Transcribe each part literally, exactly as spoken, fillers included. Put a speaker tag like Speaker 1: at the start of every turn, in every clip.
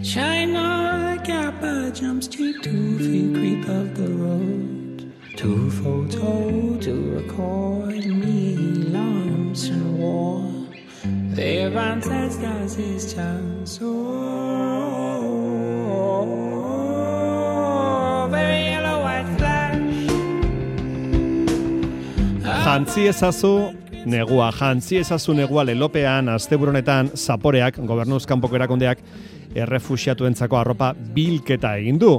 Speaker 1: China Kappa jumps to two feet creep of the road. Two photo to record me lumps and war. Their ancestors is chance so very yellow white flash.
Speaker 2: Jantzi ezazu negua, jantzi ezazu negua lelopean asteburonetan Zaporeak, gobernuz kanpoko erakundeak, errefuxiatuentzako arropa bilketa egin du.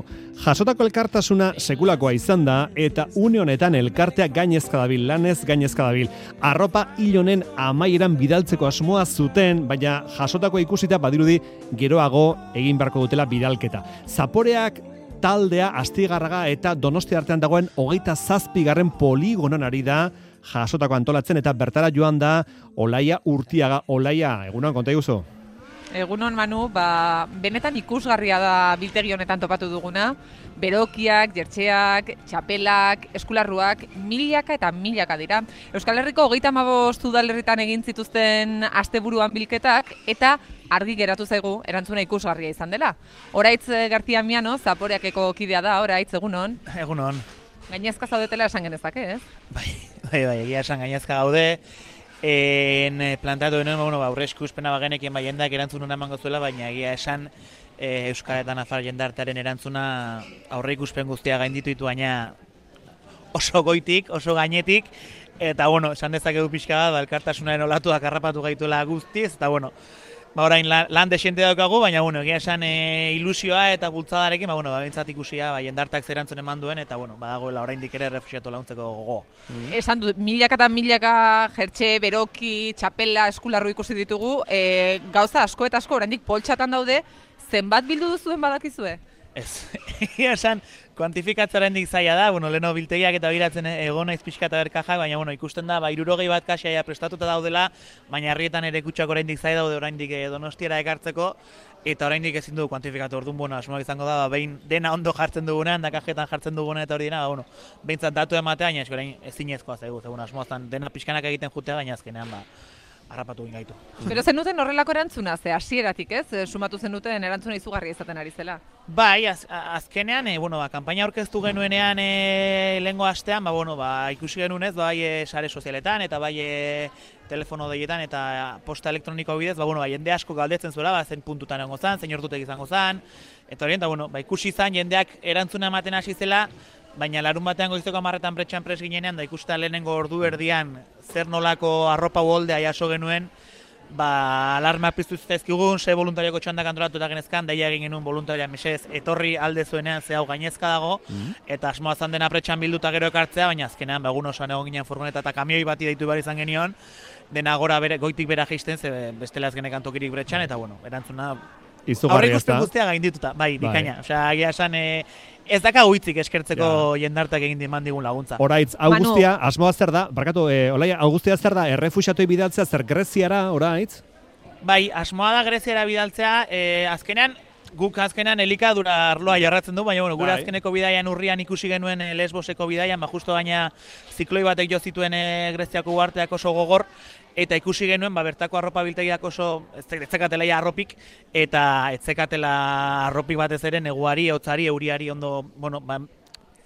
Speaker 2: Jasotako elkartasuna sekulakoa izan da eta une honetan elkartea gainezka dabil, lanez gainezka dabil. Arropa hil honen amaieran bidaltzeko asmoa zuten, baina jasotako ikusita badirudi geroago egin beharko dutela bidalketa. Zaporeak taldea Astigarraga eta Donostia artean dagoen hogeita zazpigarren poligonan ari da jasotako antolatzen eta bertara joan da Olaia Urtiaga. Olaia, egunon, konta iguzu?
Speaker 3: Egunon, Manu, ba, benetan ikusgarria da biltegi honetan topatu duguna. Berokiak, jertxeak, txapelak, eskularruak, milaka eta milaka dira. Euskal Herriko hogeita hamabost udalerritan egin zituzten asteburuan bilketak eta argi geratu zaigu erantzuna ikusgarria izan dela. Oraitz Gartia Miano, Zaporeakeko kidea da, oraitz, egunon.
Speaker 4: Egunon.
Speaker 3: Gainezka zaudetela esan genezake, ez?
Speaker 4: Bai, bai, bai, egia esan gainezka gaude. En plantatu denuen, bueno, ba, aurre eskuzpena bagenekien bai jendak erantzun una emango zuela, baina egia esan e, Euskal eta Nafar jendartearen erantzuna aurre ikuspen guztia gainditu ditu, baina oso goitik, oso gainetik, eta bueno, esan dezakegu pixka da, elkartasunaren olatuak harrapatu gaituela guztiz, eta bueno, ba orain lan, lan desente daukagu, baina bueno, egia esan e, ilusioa eta bultzadarekin, ba bueno, ba bentsat ikusia, ba jendartak zerantzun eman duen eta bueno, badagoela oraindik ere errefuxiatu laguntzeko gogo.
Speaker 3: Mm. Esan du milaka eta milaka jertxe, beroki, txapela, eskularru ikusi ditugu, e, gauza asko eta asko oraindik poltsatan daude, zenbat bildu duzuen badakizue?
Speaker 4: Ez, egia esan, kuantifikatzaren dik zaila da, bueno, leheno biltegiak eta biratzen egon naiz pixka eta berkajak, baina bueno, ikusten da, ba, hirurogei bat kasia prestatuta daudela, baina herrietan ere kutsak oraindik zaila daude oraindik Donostiara ekartzeko, eta oraindik ezin dugu kuantifikatu. Orduan, bueno, asmoak izango da, ba, behin dena ondo jartzen dugunean, da kajetan jartzen dugunean eta hori dena, ba, bueno, behintzat datu ematea, baina esko orain ezinezkoa zaigu, zegoen asmoaztan dena pixkanak egiten jutea, baina azkenean, ba, harrapatu egin gaitu.
Speaker 3: Pero zenuten horrelako erantzuna, ze hasieratik, ez? Sumatu zenuten erantzuna izugarria izaten ari zela.
Speaker 4: Bai, az, azkenean, e, bueno, ba, kanpaina aurkeztu genuenean e, lehengo astean, ba, bueno, ba, ikusi genunez, bai e, sare sozialetan eta bai e, telefono deietan eta posta elektroniko bidez, ba, bueno, ba, jende asko galdetzen zuela, ba, zen puntutan egongo zan, zein ordutek izango zan, eta horien, bueno, ba, ikusi zan jendeak erantzuna ematen hasi zela, baina larun batean goizeko hamarretan pretxan pres ginenean, da ikusten lehenengo ordu erdian zer nolako arropa uholdea jaso genuen, ba, alarma piztu zizkigun, ze voluntarioko txandak antolatu eta genezkan, daia egin genuen voluntaria mesez, etorri alde zuenean ze hau gainezka dago, mm-hmm. eta asmoa zan dena pretxan bilduta gero ekartzea, baina azkenean, ba, egun osoan egon ginen furgoneta eta kamioi bati deitu behar izan genion, dena gora bere, goitik bera jeisten, ze bestela ez genekan tokirik pretxan, eta bueno, erantzuna aurre ikusten guztia gaindituta, bai, bikaina. Bai. Osea, agia esan, e, ez daka huitzik eskertzeko ja. Jendartak egin diman digun laguntza.
Speaker 2: Oraitz, Augustia, asmoa zer da, barkatu, e, Olaia, Augustia zer da, errefuxiatoi bidaltzea, zer Greziara, oraitz?
Speaker 4: Bai, asmoa da Greziara bidaltzea, e, azkenean, guk azkenean elikadura arloa jarratzen du, baina bueno, gure bai. Azkeneko bidaian urrian ikusi genuen e, Lesboseko bidaian, ba, justo baina zikloi batek jo zituen e, Greziako uharteak oso gogor, eta ikusi genuen, ba, bertako arropa biltegiak oso etzekatela ja arropik, eta etzekatela arropik batez ere neguari, hotzari, euriari ondo, bueno, ba,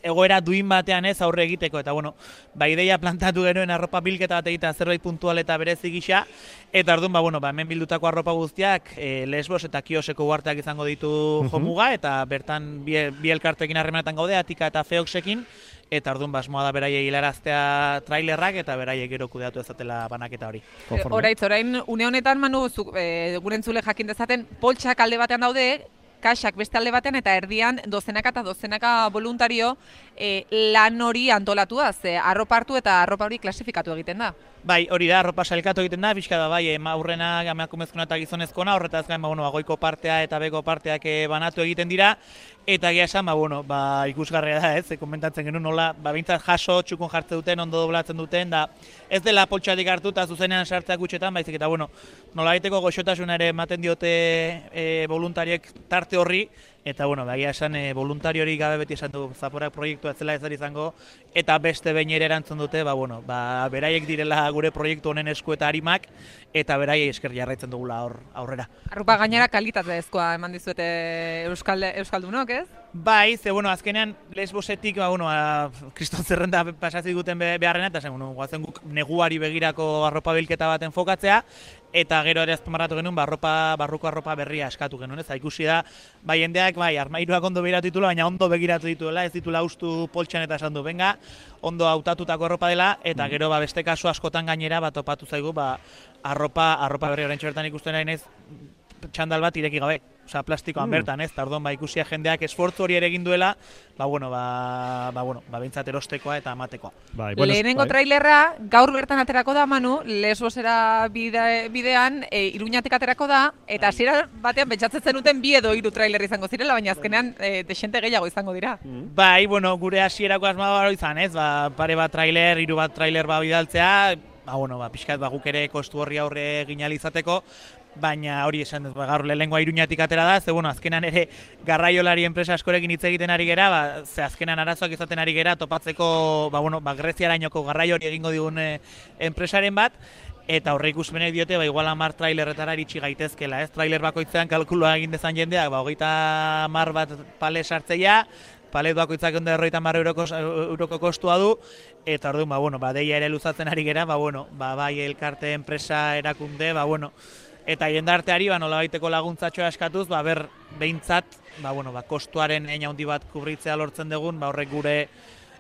Speaker 4: egoera duin batean ez aurre egiteko, eta bueno, ba, ideia plantatu genuen arropa bilketa bat egitea zerbait puntual eta berezi gisa, eta orduan, ba, bueno, ba, hemen bildutako arropa guztiak e, Lesbos eta Kioseko uharteak izango ditu jomuga, eta bertan bi, bi elkartekin harremanetan gaude, Atika eta Feoxekin, eta orduan basmoa da beraiei hilaraztea trailerrak eta beraiek gero kudeatu ezatela banaketa hori.
Speaker 3: Oraitz, orain une honetan, Manu, zu, e, gure entzule jakin dezaten, poltsak alde batean daude, kaxak beste alde batean eta erdian dozenaka eta dozenaka voluntario e, lan hori antolatuaz, e, arropa hartu eta arropa hori klasifikatu egiten da.
Speaker 4: Bai, hori da, arropa sailkatu egiten da, pixka da, bai, aurrena, emakumezkoena eta gizonezkoena, horretaz gain, ba, bueno, goiko partea eta beko parteak banatu egiten dira, eta egia esan, ba, bueno, ba, ikusgarria da, ez, komentatzen genuen nola, ba, bintzat jaso, txukun jartzen duten, ondo doblatzen duten, da, ez dela poltsatik hartu eta zuzenean sartzeak gutxetan, baizik, eta, bueno, nola egiteko goxotasuna ere ematen diote e, voluntariek tarte horri, eta, bueno, egia esan, e, voluntario hori gabe beti esan du Zaporak proiektua ez zela ez izango, eta beste behin ere erantzun dute, ba, bueno, ba, beraiek direla gure proiektu honen esku eta harimak, eta beraiei esker jarraitzen dugula aur, aurrera.
Speaker 3: Arropa gainera kalitatezkoa eman dizuete Euskal, Euskaldunok, ez?
Speaker 4: Bai, ze, bueno, azkenean Lesbosetik, ba, bueno, kriston zerrenda pasatzen duten beharrena, eta zen, bueno, guazen guk neguari begirako arropa bilketa baten fokatzea, eta gero ere azpimarratu genuen, barropa, barruko arropa berria eskatu genuen, ez? Ikusi da, bai, jendeak, bai, armairuak ondo begiratu dituela, baina ondo begiratu dituela, ez ditula ustu poltsan eta esan du, benga, ondo hautatutako arropa dela, eta gero, ba, beste kasu askotan gainera, bat topatu zaigu, ba, arropa, arropa berri oraintxe bertan ikusten ari naiz, txandal bat ireki gabe. Osea, plastikoan mm. bertan, ez? Tardon, ba, ikusia jendeak esfortzu hori ere egin duela, ba, bueno, ba, ba, bueno, ba, behintzat erostekoa eta amatekoa.
Speaker 3: Bai, bueno, lehenengo bai. Trailerra, gaur bertan aterako da, Manu, Lesbosera bide, bidean, e, Iruñatik aterako da, eta hasiera batean pentsatzen zenuten bi edo hiru trailer izango zirela, baina azkenean e, desente gehiago izango dira.
Speaker 4: Mm. Bai, bueno, gure hasierako asmoa izan, ez? Ba, pare bat trailer, hiru bat trailer ba bidaltzea, ba, bueno, ba, pixkat, ba, guk ere kostu horri aurre ginalizateko, baina hori esan dut, ba, gaur lehenengoa Iruñatik atera da, ze bueno, azkenan ere garraiolari enpresa askorekin hitz egiten ari gera, ba, ze azkenan arazoak izaten ari gera topatzeko, ba, bueno, ba, Greziarainoko garraio hori egingo digun e, enpresaren bat, eta horre ikusmenek diote, ba, igual hamar trailerretara iritsi gaitezkela, ez? Trailer bakoitzean kalkulua egin dezan jendeak, ba, hogeita hamar bat pale sartzeia, palet bakoitzak ondo erroita hamar euroko, euroko kostua du, eta orduan, ba, bueno, ba, deia ere luzatzen ari gera, ba, bueno, ba, bai elkarte enpresa erakunde, ba, bueno, eta jendarteari ba nolabaiteko laguntzatxoa eskatuz, ba ber behintzat, ba bueno, ba kostuaren hein handi bat kubritzea lortzen dugun, ba horrek gure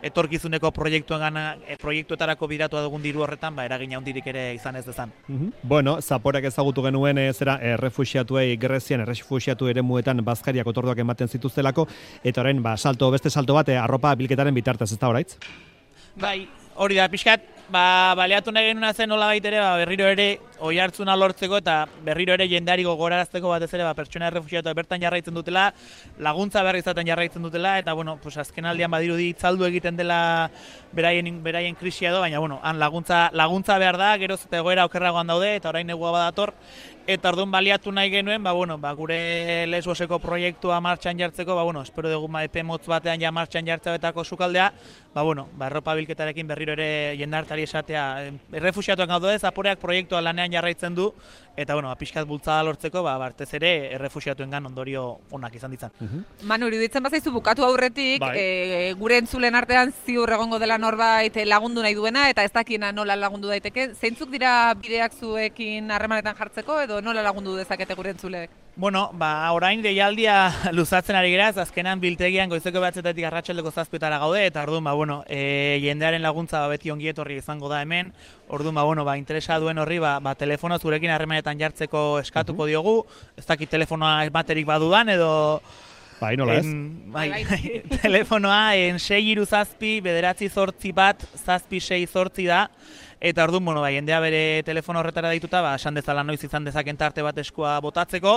Speaker 4: etorkizuneko proiektuengana e, proiektuetarako bidatu dugun diru horretan, ba eragin handirik ere izan ez dezan.
Speaker 2: Mm-hmm. Bueno, Zaporeak ezagutu genuen e, zera errefuxiatuei Grezian errefuxiatu eremuetan bazkariak otorduak ematen zituztelako, eta orain ba salto beste salto bat e, arropa bilketaren bitartez, ez da oraitz?
Speaker 4: Bai, hori da pixkat. Ba, baleatu nahi genuna zen nola baitere, ba, berriro ere oi hartzuna lortzeko eta berriro ere jendeari gogorarazteko batez ere ba, pertsona errefuxiatu bertan jarraitzen dutela, laguntza behar izaten jarraitzen dutela, eta bueno, pues, azken aldian badirudi itzaldu egiten dela beraien, beraien krisia edo, baina bueno, han laguntza, laguntza behar da, geroz eta egoera okerragoan daude, eta orain negua badator, eta orduan baliatu nahi genuen, ba, bueno, ba, gure Lesboseko proiektua martxan jartzeko, ba, bueno, espero dugu ma, epe motz batean ja martxan jartzeko sukaldea, ba, bueno, ba, arropa bilketarekin berriro ere jendartari esatea, errefuxiatuak gaude, Zaporeak proiektua lanean jarraitzen du, eta, bueno, ba, pixkat bultzada lortzeko, ba, bartez ere errefuxiatuengan ondorio onak izan ditzan.
Speaker 3: Uh-huh. Manu, iruditzen bazaizu bukatu aurretik, bai. e, gure entzulen artean ziur egongo dela norbait lagundu nahi duena, eta ez dakiena nola lagundu daiteke, zeintzuk dira bideak zuekin harremanetan jartzeko, edo nola lagundu dezakete gure entzuleek?
Speaker 4: Bueno, ba, orain deialdia luzatzen ari geraz, azkenan biltegian goizeko behatzetatik arratsaldeko zazpietara gaude, eta orduan, ba, bueno, e, jendearen laguntza ba, beti ongi etorri izango da hemen, orduan, ba, bueno, ba, interesa duen horri, ba, ba telefono zurekin harremanetan jartzeko eskatuko diogu, ez dakit telefonoa ematerik badudan, edo...
Speaker 2: Bai, nola ez?
Speaker 4: Bai, bai, telefonoa, en sei hiru zazpi, bederatzi zortzi bat, zazpi sei zortzi da, eta orduan, bueno, ba, jendea bere telefono horretara dituta, ba, esan dezala noiz izan dezaken tarte bat eskua botatzeko,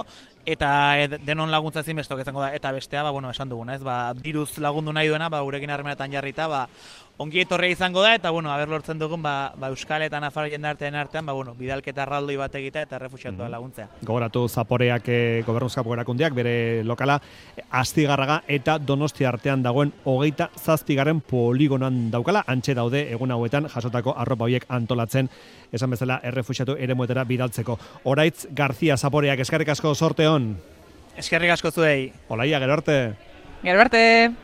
Speaker 4: eta ed, denon laguntza ezinbestok izango da, eta bestea, ba, bueno, esan duguna, ez, ba, diruz lagundu nahi duena, ba, gurekin harremanetan jarrita, ba, ongi etorria izango da, eta, bueno, haber lortzen dugun, ba, ba Euskal eta Nafar jendarteen artean, ba, bueno, bidalketa erraldoi bat egitea eta errefuxiatua mm-hmm. laguntzea.
Speaker 2: Gogoratu Zaporeak, e, gobernuzkapoko erakundeak, bere lokala, Astigarraga eta Donostia artean dagoen hogeita zazpigaren poligonan daukala, antxe daude egun hauetan jasotako arropa horiek antolatzen, esan bezala errefuxiatu eremuetara bidaltzeko. Oraitz Garzia Zaporeak, eskerrik asko, sorte on.
Speaker 4: Eskerrik asko zuei.
Speaker 2: Olaia, gero arte.
Speaker 3: Gero arte.